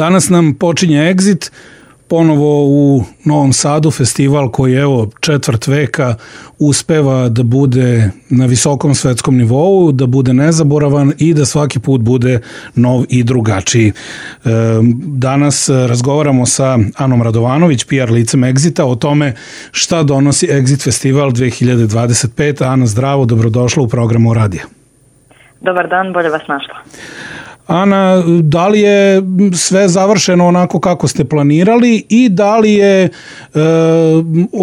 Danas nam počinje Exit, ponovo u Novom Sadu, festival koji evo četvrt veka uspeva da bude na visokom svetskom nivou, da bude nezaboravan i da svaki put bude nov i drugačiji. Danas razgovaramo sa Anom Radovanović, PR licem Exita, o tome šta donosi Exit festival 2025. Ana, zdravo, dobrodošla u programu Radija. Dobar dan, bolje vas našla. Ana, da li je sve završeno onako kako ste planirali i da li je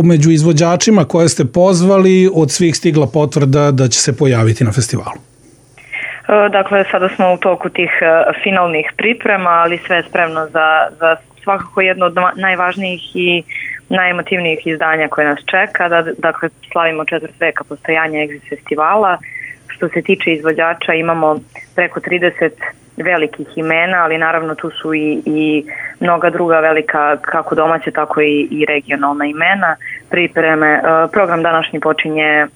među izvođačima koje ste pozvali od svih stigla potvrda da će se pojaviti na festivalu? Dakle, sada smo u toku tih finalnih priprema, ali sve je spremno za svakako jedno od najvažnijih i najemotivnijih izdanja koje nas čeka. Dakle, slavimo četvrt veka postojanja Exit festivala. Što se tiče izvođača, imamo preko 30 velikih imena, ali naravno tu su i mnoga druga velika, kako domaće, tako i regionalna imena. Pripreme, program današnji počinje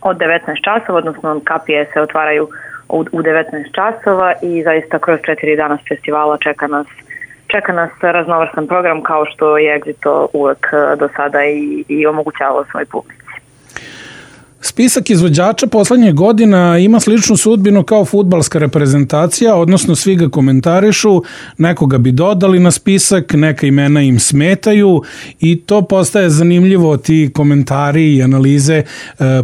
od 19 časova, odnosno kapije se otvaraju u 19 časova i zaista kroz 4 dana festivala čeka nas raznovrsan program kao što je Exit uvek do sada i omogućavao svoj publici. Spisak izvođača poslednjih godina ima sličnu sudbinu kao fudbalska reprezentacija, odnosno svi ga komentarišu, nekoga bi dodali na spisak, neka imena im smetaju i to postaje zanimljivo, ti komentari i analize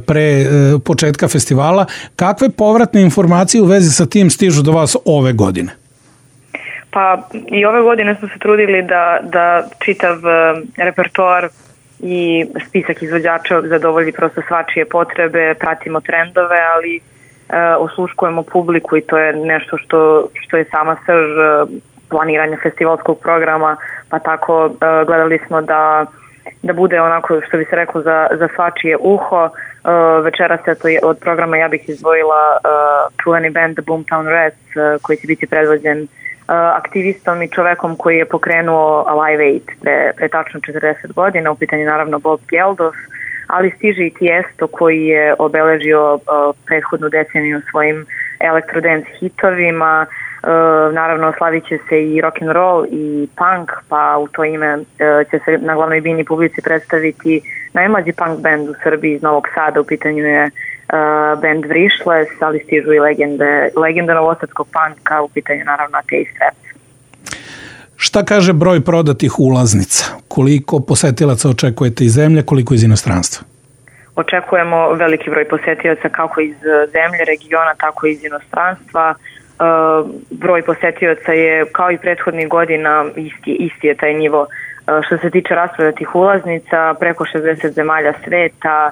pre početka festivala. Kakve povratne informacije u vezi sa tim stižu do vas ove godine? Pa i ove godine smo se trudili da čitav repertoar i spisak izvođača zadovolji prosto svačije potrebe, pratimo trendove, ali osluškujemo publiku i to je nešto što je sama srž planiranja festivalskog programa, pa tako gledali smo da bude onako što bi se reklo za svačije uho. Večeras od programa ja bih izdvojila čuveni band The Boomtown Rats koji će biti predvođen aktivistom i čovekom koji je pokrenuo Live Aid pre tačno 40 godina, u pitanju naravno Bob Geldof, ali stiže i Tiesto koji je obeležio prethodnu deceniju svojim elektrodance hitovima, naravno slavit će se i rock'n'roll i punk, pa u to ime će se na glavnoj bini publici predstaviti najmlađi punk band u Srbiji iz Novog Sada, u pitanju je band Vrišles, ali stižu i legende novosadskog punka, u pitanju naravno Ateist Rap. Šta kaže broj prodatih ulaznica? Koliko posetilaca očekujete iz zemlje, koliko iz inostranstva? Očekujemo veliki broj posetilaca kako iz zemlje, regiona, tako i iz inostranstva. Broj posetilaca je kao i prethodnih godina, isti je taj nivo. Što se tiče rasprodatih ulaznica, preko 60 zemalja sveta,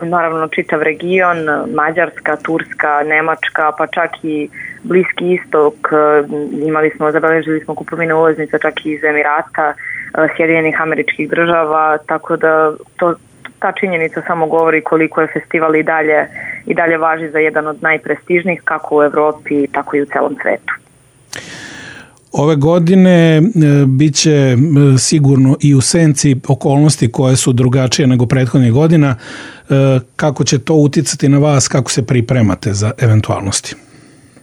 naravno čitav region, Mađarska, Turska, Nemačka, pa čak i Bliski istok, zabeležili smo kupovine ulaznica čak i iz Emirata, Sjedinjenih Američkih Država, tako da ta činjenica samo govori koliko je festival i dalje važi za jedan od najprestižnijih kako u Evropi, tako i u celom svetu. Ove godine bit će sigurno i u senci okolnosti koje su drugačije nego prethodnih godina. Kako će to uticati na vas, kako se pripremate za eventualnosti?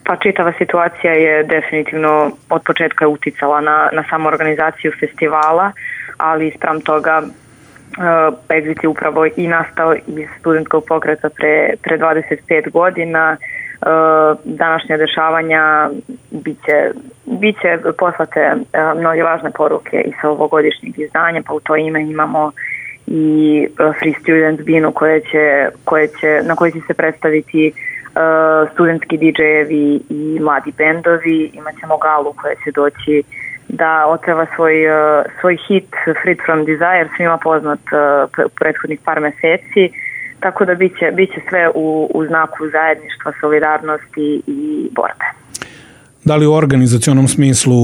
Pa čitava situacija je definitivno od početka uticala na samu organizaciju festivala, ali spram toga Exit je upravo i nastao iz studentskog pokreta pre 25 godina. Današnja dešavanja biće poslate mnoge važne poruke i sa ovogodišnjeg izdanja, pa u to ime imamo i Free Student binu na kojoj će se predstaviti studentski DJ-evi i mladi bendovi. Imaćemo galu koja će doći da otpeva svoj hit Free From Desire, svima poznat prethodnih par meseci. Tako da biće sve u znaku zajedništva, solidarnosti i borbe. Da li u organizacionom smislu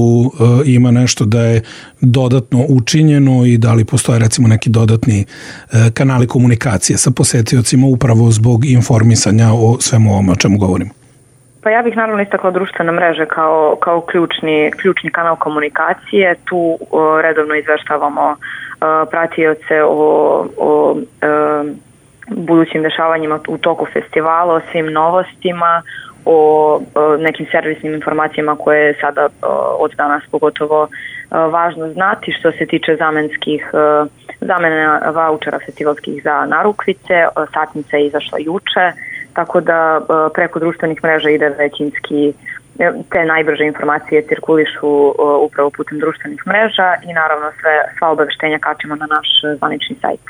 ima nešto da je dodatno učinjeno i da li postoje recimo neki dodatni kanali komunikacije sa posetiocima upravo zbog informisanja o svemu ovom o čemu govorimo? Pa ja bih naravno istakla društvene mreže kao ključni kanal komunikacije. Tu redovno izveštavamo pratioce o budućim dešavanjima u toku festivala, o svim novostima, o nekim servisnim informacijama koje je sada od danas pogotovo važno znati što se tiče zamena vaučera festivalskih za narukvice. Satnica je izašla juče, tako da preko društvenih mreža ide većinski, te najbrže informacije cirkulišu upravo putem društvenih mreža i naravno sva obaveštenja kačimo na naš zvanični sajt.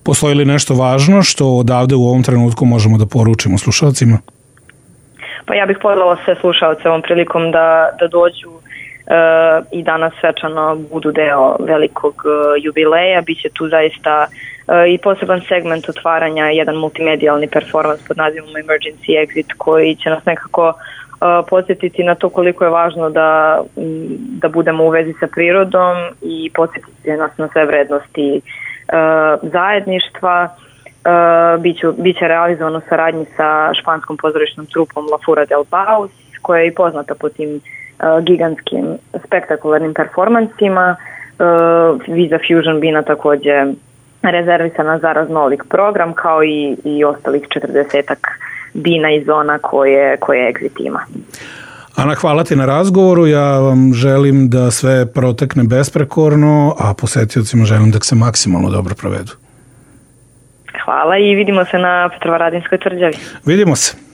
Postoji li nešto važno što odavde u ovom trenutku možemo da poručimo slušalcima? Pa ja bih pozvala sve slušalce ovom prilikom da dođu i danas svečano budu deo velikog jubileja. Biće tu zaista i poseban segment otvaranja, jedan multimedijalni performans pod nazivom Emergency Exit koji će nas nekako podsjetiti na to koliko je važno da budemo u vezi sa prirodom i podsjetiti nas na sve vrednosti zajedništva. Biće realizovano u saradnji sa španskom pozorišnom trupom La Fura del Baus, koja je i poznata po tim gigantskim spektakularnim performansima. Visa Fusion bina takođe rezervisana za raznolik program, kao i ostalih 40-ak bina i zona koje Exit ima. Ana, hvala ti na razgovoru, ja vam želim da sve protekne besprekorno, a posetiocima želim da se maksimalno dobro provedu. Hvala i vidimo se na Petrovaradinskoj tvrđavi. Vidimo se.